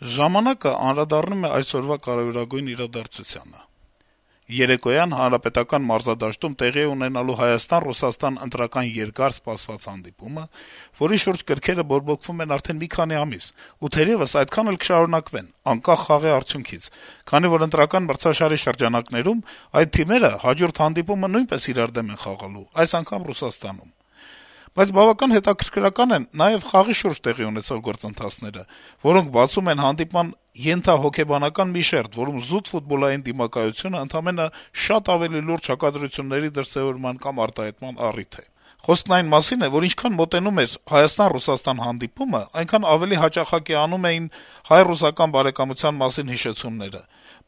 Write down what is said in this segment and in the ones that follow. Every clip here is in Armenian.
Ժամանակը անդրադառնում է այսօրվա կարեւորագույն իրադարձությանը։ Երեկոյան Հանրապետական մարզադաշտում տեղի է ունենալու Հայաստան-Ռուսաստան ընտրական երկար սպասված հանդիպումը, որի շուրջ գրքերը բորբոքվում են արդեն մի քանի ամիս, ու թերեւս այդքան էլ կշարունակվեն, անկախ խաղի արդյունքից, քանի որ ընտրական մրցաշարի շրջանակներում այդ թիմերը հաջորդ հանդիպումը նույնպես իրար դեմ են խաղալու, այս անգամ Ռուսաստանում։ Բայց բավական հետաքրքրական են նաեւ խաղի շուրջ տեղի ունեցող գործընթացները, որոնք բացում են հանդիպման ենթահոգեբանական մի շերտ, որում զուտ ֆուտբոլային դիմակայությունը ընդամենը շատ ավելի լուրջ հակադրությունների դրսեւորման կամ արտահայտման առիթ է։ Խոսքն այն մասին է, որ ինչքան մոտենում էր Հայաստան-Ռուսաստան հանդիպումը, այնքան ավելի հաճախակի անում էին հայ-ռուսական բարեկամության մասին հիշեցումները։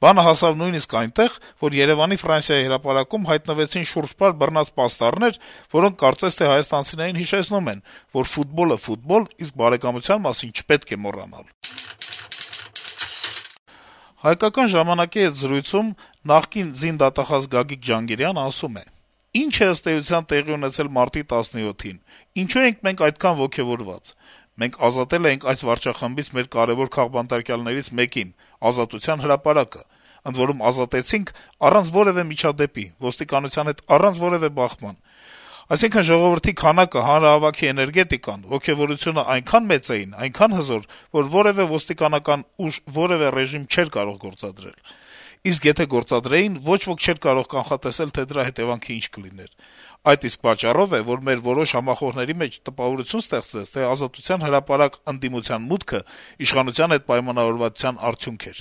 Բանը հասավ նույնիսկ այնտեղ, որ Երեւանի Ֆրանսիայի հրապարակում հայտնվեցին շուրջպար բռնած պաստառներ, որոնք կարծես թե հայաստանցիներին հիշեցնում են, որ ֆուտբոլը ֆուտբոլ, իսկ բարեկամության մասին չպետք է մոռանալ։ «Հայկական ժամանակ»-ի հետ զրույցում նախկին զինդատախազ Գագիկ Ջանգիրյանն ասում է. - «Ինչ է ըստ էության տեղի ունեցել մարտի 17-ին, ինչու ենք մենք այդքան ոգեւորված: Մենք ազատել էինք այս վարչախմբից մեր կարեւոր քաղբանտարկյալներից մեկին` Ազատության հրապարակը, ընդ որում ազատեցինք առանց որեւէ միջադեպի, ոստիկանության հետ առանց որեւէ բախման: Այսինքն ժողովրդի քանակը, հանրահավաքի էներգետիկան, ոգեւորությունը այնքան մեծ էին, այնքան հզոր, որ որեւէ ոստիկանական ուժ որեւէ ռեժիմ չէր կարող գործադրել: Իսկ եթե գործադրեին, ոչ ոք չէր կարող կանխատեսել, թե դրա հետեւանքը ինչ կլիներ: Այդ իսկ պատճառով է, որ մեր որոշ համախոհների մեջ տպավորություն ստեղծվեց, թե Ազատության հրապարակ ընդդիմության մուտքը իշխանության հետ պայմանավորվածության արդյունք էր: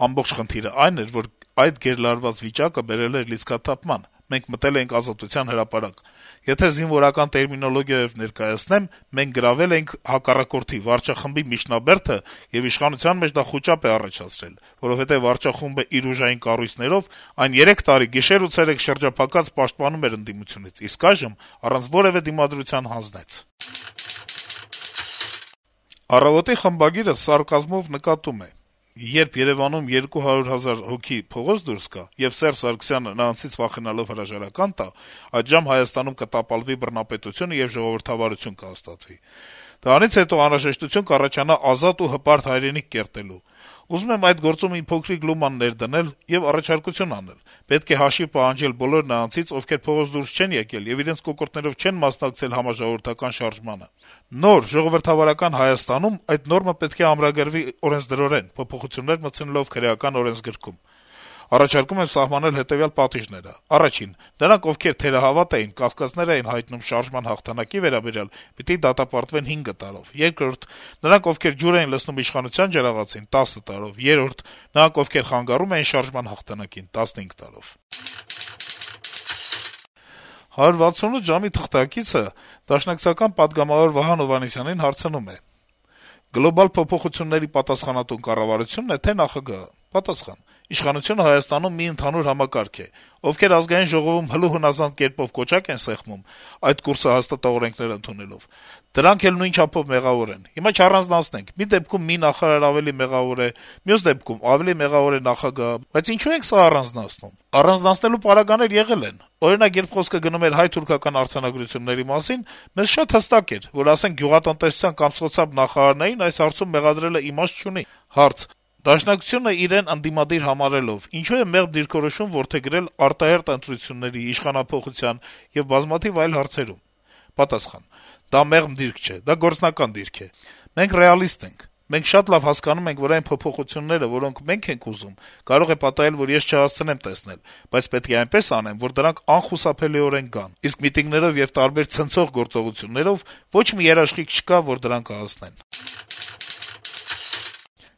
Ամբողջ խնդիրը այն էր, որ այդ գերլարված վիճակը բերել էր լիցքաթափման: Մենք մտել էինք Ազատության հրապարակ: Եթե զինվորական տերմինոլոգիայով ներկայացնեմ, մենք գրավել էինք հակառակորդի` վարչախմբի միջնաբերդը, եւ իշխանության մեջ դա խուճապ է առաջացրել, որովհետեւ վարչախումբը իր ուժային կառույցներով այն 3 տարի գիշեր ու ցերեկ շրջափակած պաշտպանում էր ընդդիմությունից, իսկ այժմ առանց որեւէ դիմադրության հանձնեց»: «Առավոտ»-ի խմբագիրը սարկազմով նկատում է. - «Երբ Երեւանում 200 000 հոգի փողոց դուրս գա, եւ Սերժ Սարգսյանը նրանցից վախենալով հրաժարական տա, այդժամ Հայաստանում կտապալվի բռնապետությունը եւ ժողովրդավարություն կհաստատվի: Դրանից հետո անհրաժեշտություն կառաջանա ազատ ու հպարտ հայրենիք կերտելու: Ուզում եմ այդ գործում իմ փոքրիկ լուման ներդնել եւ առաջարկություն անել. պետք է հաշիվ պահանջել բոլոր նրանցից, ովքեր փողոց դուրս չեն եկել եւ իրենց կոկորդներով չեն մասնակցել համաժողովրդական շարժմանը: Նոր, ժողովրդավարական Հայաստանում այդ նորմը պետք է ամրագրվի օրենսդրորեն, փոփոխություններ մտցնելով Քրեական օրենսգրքում: Առաջարկում եմ սահմանել հետեւյալ պատիժները. Առաջին. նրանք, ովքեր թերահավատ էին, կասկածներ էին հայտնում շարժման հաղթանակի վերաբերյալ, պիտի դատապարտվեն 5 տարով: Երկրորդ. նրանք, ովքեր ջուր էին լցնում իշխանության ջրաղացին, 10 տարով: Երրորդ. նրանք, ովքեր խանգարում էին շարժման հաղթանակին, 15 տարով»: 168 ժամ»-ի թղթակիցը դաշնակցական պատգամավոր Վահան Հովհաննիսյանին հարցնում է. - «Գլոբալ փոփոխությունների պատասխանատուն կառավարությո՞ւնն է, թե՞ ՆԱԽԳ-ը»: Պատասխան. - «Իշխանությունը Հայաստանում մի ընդհանուր համակարգ է: Ովքեր Ազգային ժողովում հլու հնազանդ կերպով կոճակ են սեղմում, այդ կուրսը հաստատող օրենքներ ընդունելով, դրանք էլ նույն չափով մեղավոր են: Հիմա չառանձնացնենք. մի դեպքում մի նախարար ավելի մեղավոր է, մյուս դեպքում ավելի մեղավոր է ՆԱԽԳ-ը, բայց ինչո՞ւ ենք սա առանձնացնում: Առանձնացնելու պարագաներ եղել են: Օրինակ, երբ խոսքը գնում էր հայ-թուրքական արձանագրությունների մասին, մեզ շատ հստակ էր, որ, ասենք, գյուղատնտեսության կամ սոցապ նախարարներին այս հարցում մեղադրելը իմաստ չունի»: Հարց. - «Դաշնակցությունը իրեն ընդդիմադիր համարելով, ինչո՞ւ է մեղմ դիրքորոշում որդեգրել արտահերթ ընտրությունների, իշխանափոխության եւ բազմաթիվ այլ հարցերում»: Պատասխան. - «Դա մեղմ դիրք չէ, դա գործնական դիրք է: Մենք ռեալիստ ենք: Մենք շատ լավ հասկանում ենք, որ այն փոփոխությունները, որոնք մենք ենք ուզում, կարող է պատահել, որ ես չհասցնեմ տեսնել, բայց պետք է այնպես անեմ, որ դրանք անխուսափելիորեն գան: Իսկ միտինգներով եւ տարբեր ցնցող գործողություններով ոչ մի երաշխիք չկա, որ դրան կհասնեն»: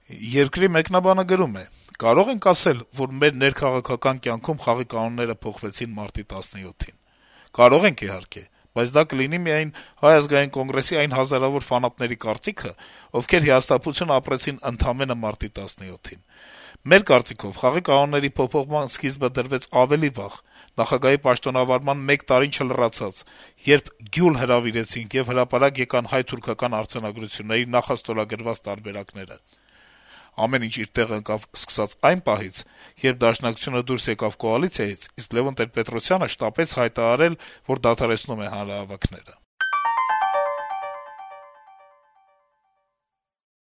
«Երկիր» թերթի մեկնաբանը գրում է. - «Կարո՞ղ ենք ասել, որ մեր ներքաղաքական կյանքում խաղի կանոնները փոխվեցին մարտի 17-ին: Կարող ենք, իհարկե, բայց դա կլինի միայն Հայ ազգային կոնգրեսի այն հազարավոր ֆանատների կարծիքը, ովքեր հիասթափություն ապրեցին ընդամենը մարտի 17-ին: Մեր կարծիքով, խաղի կանոնների փոփոխման սկիզբը դրվեց ավելի վաղ, նախագահի պաշտոնավարման 1 տարին չլրացած, երբ «գյուլ հրավիրեցինք» եւ հրապարակ եկան հայ-թուրքական արձանագրությունների նախաստորագրված տարբերակները: Ամեն ինչ իր տեղը ընկավ սկսած այն պահից, երբ Դաշնակցությունը դուրս եկավ կոալիցիայից, իսկ Լեւոն Տեր-Պետրոսյանը շտապեց հայտարարել, որ դադարեցնում է հանրահավաքները»: